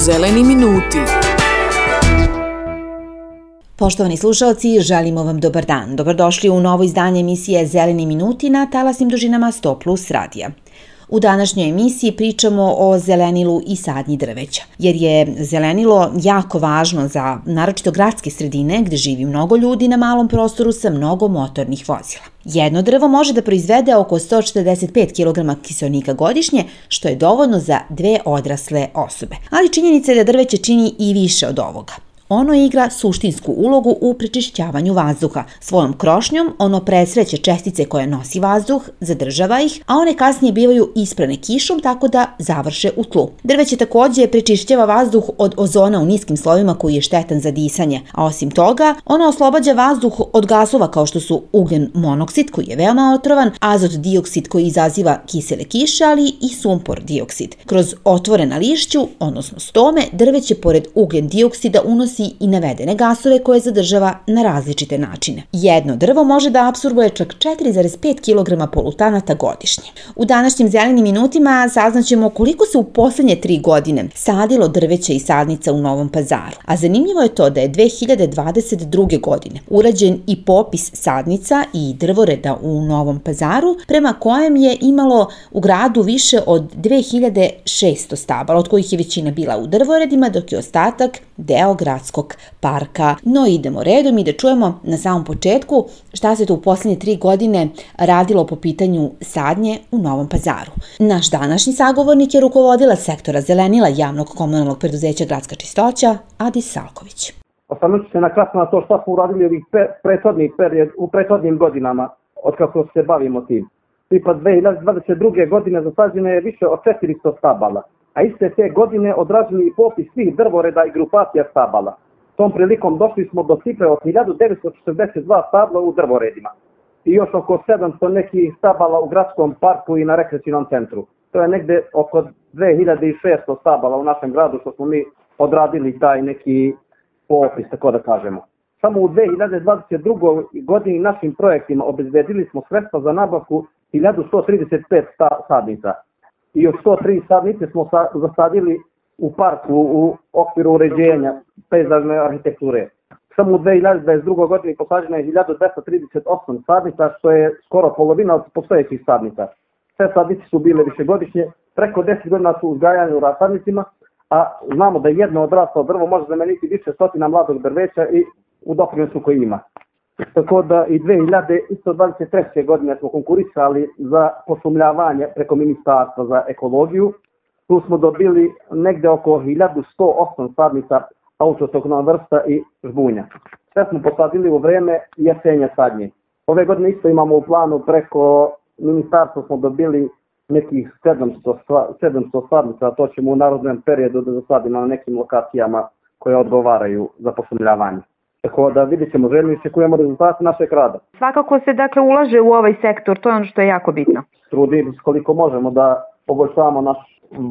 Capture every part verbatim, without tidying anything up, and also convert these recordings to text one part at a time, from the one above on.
Zeleni minuti. Poštovani slušalci, želimo vam dobar dan. Dobrodošli u novo izdanje emisije Zeleni minuti na talasnim dužinama sto plus radija. U današnjoj emisiji pričamo o zelenilu i sadnji drveća, jer je zelenilo jako važno za naročito gradske sredine gde živi mnogo ljudi na malom prostoru sa mnogo motornih vozila. Jedno drvo može da proizvede oko sto četrdeset pet kilograma kiseonika godišnje, što je dovoljno za dve odrasle osobe. Ali činjenica je da drveće čini i više od ovoga. Ono igra suštinsku ulogu u prečišćavanju vazduha. Svojom krošnjom ono presreće čestice koje nosi vazduh, zadržava ih, a one kasnije bivaju isprane kišom tako da završe u tlu. Drveće takođe prečišćava vazduh od ozona u niskim slovima koji je štetan za disanje, a osim toga, ono oslobađa vazduh od gasova kao što su ugljen monoksid koji je veoma otrovan, azot dioksid koji izaziva kisele kiše, ali i sumpor dioksid. Kroz otvore na lišću, odnosno stome, drveće pored ugljen dioksida unosi i navedene gasove koje zadržava na različite načine. Jedno drvo može da apsorbuje čak četiri zarez pet kilograma polutanata godišnje. U današnjim zelenim minutima saznaćemo koliko se u poslednje tri godine sadilo drveća i sadnica u Novom Pazaru. A zanimljivo je to da je dve hiljade dvadeset druge. godine urađen i popis sadnica i drvoreda u Novom Pazaru, prema kojem je imalo u gradu više od dve hiljade šesto stabala, od kojih je većina bila u drvoredima, dok je ostatak deo gradskog parka. No idemo redom i da čujemo na samom početku šta se to u posljednje tri godine radilo po pitanju sadnje u Novom Pazaru. Naš današnji sagovornik je rukovodila sektora zelenila javnog komunalnog preduzeća Gradska čistoća, Adis Salković. Osvrnuću se na kratko na to što smo uradili ovih prethodnih period, u prethodnim godinama od kako se bavimo tim. Tipa dve hiljade dvadeset druge. godine zasađeno je više od četiristo stabala, a iste te godine odrađeni i popis svih drvoreda i grupacija stabala. Tom prilikom došli smo do cifre od hiljadu devetsto četrdeset dva stabla u drvoredima i još oko sedamsto nekih stabala u gradskom parku i na rekreacionom centru. To je negde oko dve hiljade šesto stabala u našem gradu što smo mi odradili taj neki popis, tako da kažemo. Samo u dve hiljade dvadeset drugoj. godini našim projektima obezbedili smo sredstva za nabavku hiljadu sto trideset pet sadnica. I još sto tri sadnice smo zasadili u parku u okviru uređenja pejzažne arhitekture. Samo u dve hiljade dvadeset drugoj. godini posađeno je hiljadu dvesta trideset osam sadnica, što je skoro polovina od postojećih sadnica. Sve sadnice su bile višegodišnje, preko deset godina su uzgajane u rasadnicima, a znamo da jedno odraslo drvo može zameniti više stotina mladog drveća i u doprinosu koji ima. Tako da i dve hiljade dvadeset treće. godine smo konkurisali za pošumljavanje preko Ministarstva za ekologiju. Tu smo dobili negde oko hiljadu sto osam sadnica autohtona vrsta i žbunja. Sve smo posadili u vreme jesenja sadnje. Ove godine isto imamo u planu preko Ministarstva smo dobili nekih sedamsto sadnica, a to ćemo u narodnom periodu da zasadimo na nekim lokacijama koje odgovaraju za pošumljavanje. Tako da vidjet ćemo, željno iščekujemo rezultate našeg rada. Svakako se dakle ulaže u ovaj sektor, to je ono što je jako bitno. Trudimo se koliko možemo da poboljšavamo naš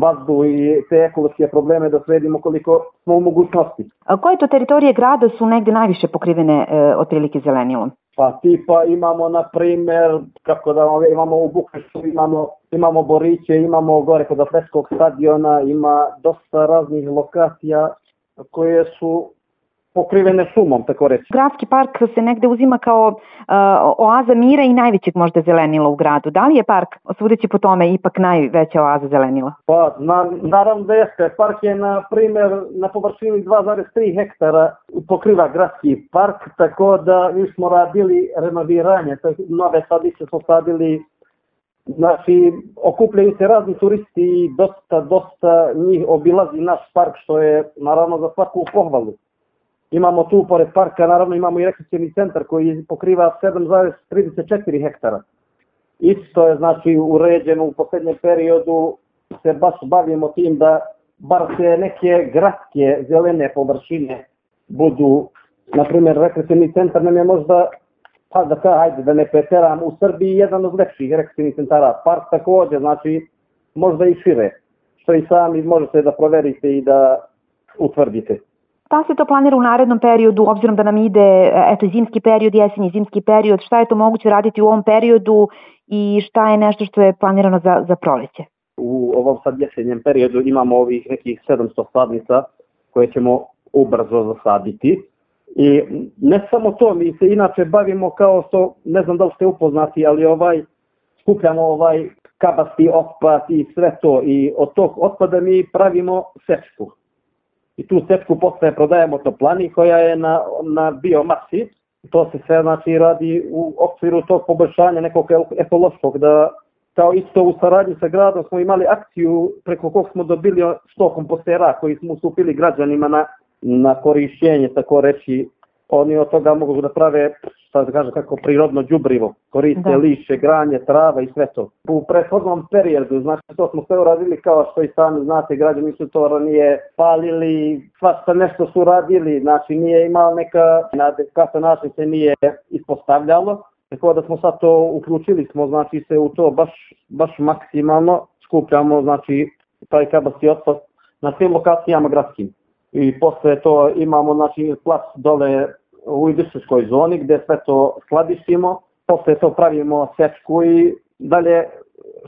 vazduh i te ekološke probleme, da sredimo koliko smo u mogućnosti. A koje to teritorije grada su negde najviše pokrivene e, otprilike zelenilom? Pa tipa imamo na primer, kako da imamo u Bukrešu, imamo, imamo Boriće, imamo gore kod Atletskog stadiona, ima dosta raznih lokacija koje su pokrivene šumom, tako reći. Gradski park se negde uzima kao uh, oaza mira i najvećeg možda zelenila u gradu. Da li je park, sudeći po tome, ipak najveća oaza zelenila? Pa, na, naravno da jeste. Park je, na primer, na površini dva zarez tri hektara pokriva gradski park, tako da mi smo radili renoviranje, nove sadice smo sadili. Znači, okupljaju se razni turisti i dosta, dosta njih obilazi naš park, što je naravno za svaku pohvalu. Imamo tu, pored parka, naravno imamo i rekreacioni centar koji pokriva sedam zarez trideset četiri hektara. Isto je, znači, uređeno u posljednjem periodu, se baš bavimo tim da bar se neke gradske zelene površine budu, na primjer, rekreacioni centar nam je možda, pa da ka, hajde da ne preteram, u Srbiji jedan od lepših rekreacionih centara. Park također, znači, možda i šire, što i sami možete da proverite i da utvrdite. Šta se to planira u narednom periodu, obzirom da nam ide eto, zimski period, jesenji zimski period, šta je to moguće raditi u ovom periodu i šta je nešto što je planirano za, za proleće? U u ovom sad jesenjem periodu imamo ovih nekih sedamsto sadnica koje ćemo ubrzo zasaditi. I ne samo to, mi se inače bavimo kao što, ne znam da li ste upoznati, ali ovaj, skupljamo ovaj kabasti otpad i sve to. I od tog otpada mi pravimo sečku. I tu sečku posle prodajemo toplani koja je na, na biomasi. To se sve znači radi u okviru tog poboljšanja nekog ekološkog, da kao isto u saradnji sa gradom smo imali akciju preko kog smo dobili sto kompostera koji smo ustupili građanima na, na korišćenje, tako reći. Oni od toga mogu da prave, šta da kažem, kako prirodno đubrivo, koriste da. Lišće, granje, trava i sve to. U prethodnom periodu, znači to smo sve uradili kao što i sami znate, građani su to ranije palili, svašta nešto su radili, znači nije imao neka, na adekvatan način se nije ispostavljalo. Tako da smo sad to uključili smo, znači se u to baš, baš maksimalno skupljamo, znači taj kabasti otpad na svim lokacijama gradskim. I posle to imamo, znači, plac dole u industrijskoj zoni gdje sve to skladištimo, posle to pravimo sečku i dalje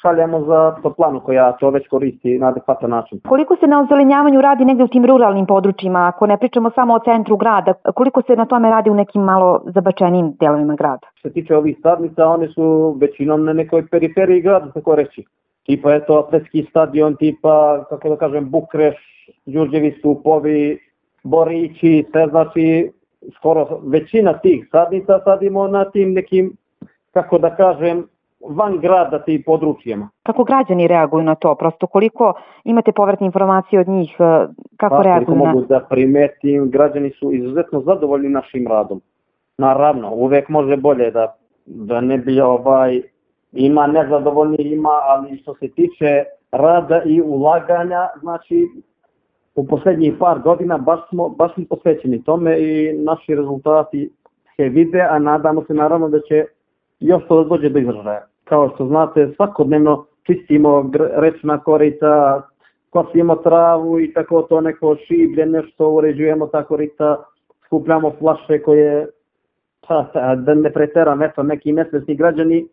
šaljemo za toplanu koja to već koristi na adekvatan način. Koliko se na ozelenjavanju radi negdje u tim ruralnim područjima, ako ne pričamo samo o centru grada, koliko se na tome radi u nekim malo zabačenijim delovima grada? Što se tiče ovih sadnica, one su većinom na nekoj periferiji grada, tako reći. Tipa je to atletski stadion, tipa, kako da kažem, Bukreš, Đurđevi stupovi, Borići, sve znači skoro većina tih sadnica sadimo na tim nekim, kako da kažem, van grada tim područjima. Kako građani reaguju na to? Prosto koliko imate povratne informacije od njih, kako pa, reaguju na... mogu da primetim, građani su izuzetno zadovoljni našim radom. Naravno, uvek može bolje da, da ne bi ovaj, ima nezadovoljni, ima, ali što se tiče rada i ulaganja, znači u posljednjih par godina baš smo, baš smo posvećeni tome i naši rezultati se vide, a nadamo se naravno da će još to dođe do izražaja. Kao što znate, svakodnevno čistimo rečna korita, kosimo travu i tako to neko šiblje, nešto uređujemo ta korita, skupljamo flaše koje, pa, da ne preteram, eto, neki nesvesni građani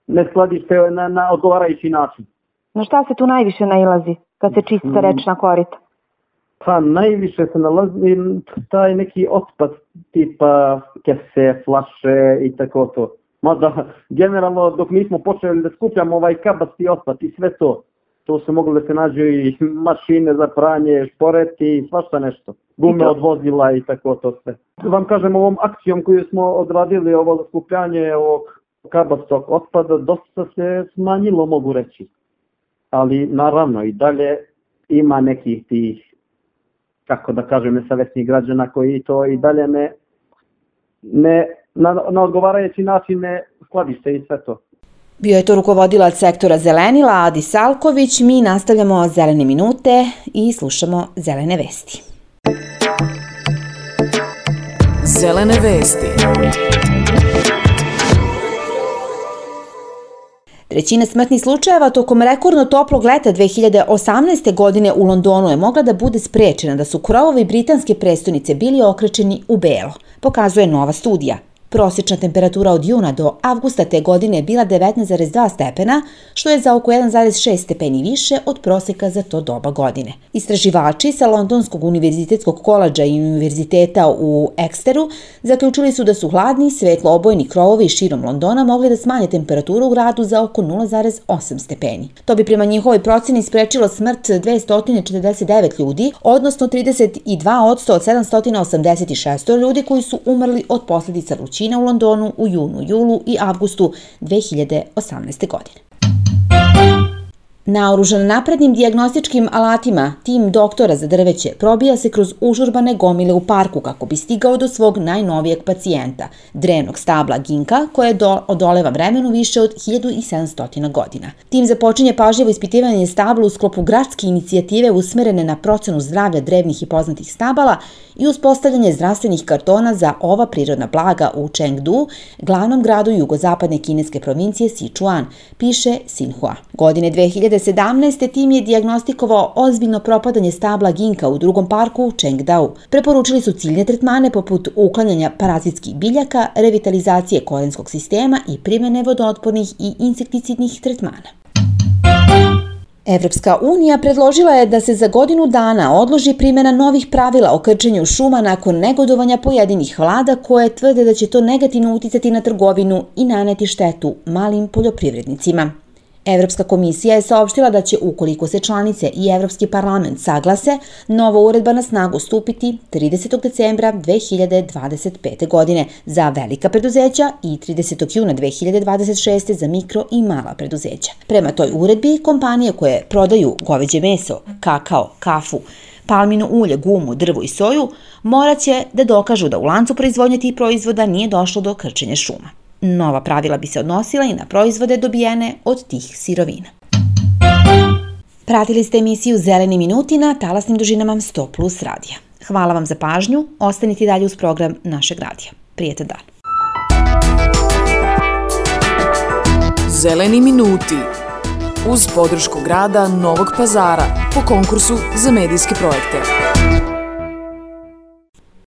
ne skladište na, na odgovarajući način. Na šta se tu najviše nailazi kad se čiste rečna korita? Pa najviše se nalazi taj neki otpad tipa kese, flaše i tako to. Mada generalno dok mi smo počeli da skupljamo ovaj kabasti otpad i sve to, to se moglo da se nađu i mašine za pranje, šporeti i svašta nešto. Gume od vozila i tako to sve. Vam kažem, ovom akcijom koju smo odradili, ovo skupljanje ovog kabastog otpada, dosta se smanjilo, mogu reći. Ali naravno i dalje ima nekih tih, kako da kažem, nesavesnih građana koji to i dalje ne, ne na, na odgovarajući način ne skladište i sve to. Bio je to rukovodilac sektora zelenila Adi Salković. Mi nastavljamo zelene minute i slušamo zelene vesti. Zelene vesti. Trećina smrtnih slučajeva tokom rekordno toplog leta dve hiljade osamnaeste. godine u Londonu je mogla da bude sprečena da su krovovi britanske prestonice bili okrečeni u belo, pokazuje nova studija. Prosječna temperatura od juna do avgusta te godine je bila devetnaest zarez dva stepena, što je za oko jedan zarez šest stepeni više od proseka za to doba godine. Istraživači sa Londonskog univerzitetskog koledža i univerziteta u Exeteru zaključili su da su hladni, svetlo-obojni krovovi širom Londona mogli da smanje temperaturu u gradu za oko nula zarez osam stepeni. To bi prema njihovoj proceni sprečilo smrt dvesta četrdeset devet ljudi, odnosno trideset dva posto od sedamsto osamdeset šest ljudi koji su umrli od posljedica vrućine u Londonu u junu, julu i avgustu dve hiljade osamnaeste. godine. Naoružan naprednim dijagnostičkim alatima, tim doktora za drveće probija se kroz užurbane gomile u parku kako bi stigao do svog najnovijeg pacijenta, drevnog stabla ginka, koje do, odoleva vremenu više od hiljadu sedamsto godina. Tim započinje pažljivo ispitivanje stabla u sklopu gradske inicijative usmerene na procenu zdravlja drevnih i poznatih stabala i uspostavljanje zdravstvenih kartona za ova prirodna blaga u Chengdu, glavnom gradu jugozapadne kineske provincije Sichuan, piše Xinhua. Godine dve hiljade sedamnaeste. tim je dijagnostikovao ozbiljno propadanje stabla ginka u drugom parku u Chengdou. Preporučili su ciljne tretmane poput uklanjanja parazitskih biljaka, revitalizacije korenskog sistema i primjene vodootpornih i insekticidnih tretmana. Evropska unija predložila je da se za godinu dana odloži primjena novih pravila o krčenju šuma nakon negodovanja pojedinih vlada koje tvrde da će to negativno uticati na trgovinu i naneti štetu malim poljoprivrednicima. Evropska komisija je saopštila da će, ukoliko se članice i Evropski parlament saglase, nova uredba na snagu stupiti tridesetog decembra dve hiljade dvadeset pete. godine za velika preduzeća i tridesetog juna dve hiljade dvadeset šeste. za mikro i mala preduzeća. Prema toj uredbi, kompanije koje prodaju goveđe meso, kakao, kafu, palmino ulje, gumu, drvo i soju morat će da dokažu da u lancu proizvodnje tih proizvoda nije došlo do krčenja šuma. Nova pravila bi se odnosila i na proizvode dobijene od tih sirovina. Pratili ste emisiju Zeleni minuti na talasnim dužinama sto plus radija. Hvala vam za pažnju, ostanite dalje uz program našeg radija. Prijetan dan. Zeleni minuti uz podršku grada Novog Pazara po konkursu za medijske projekte.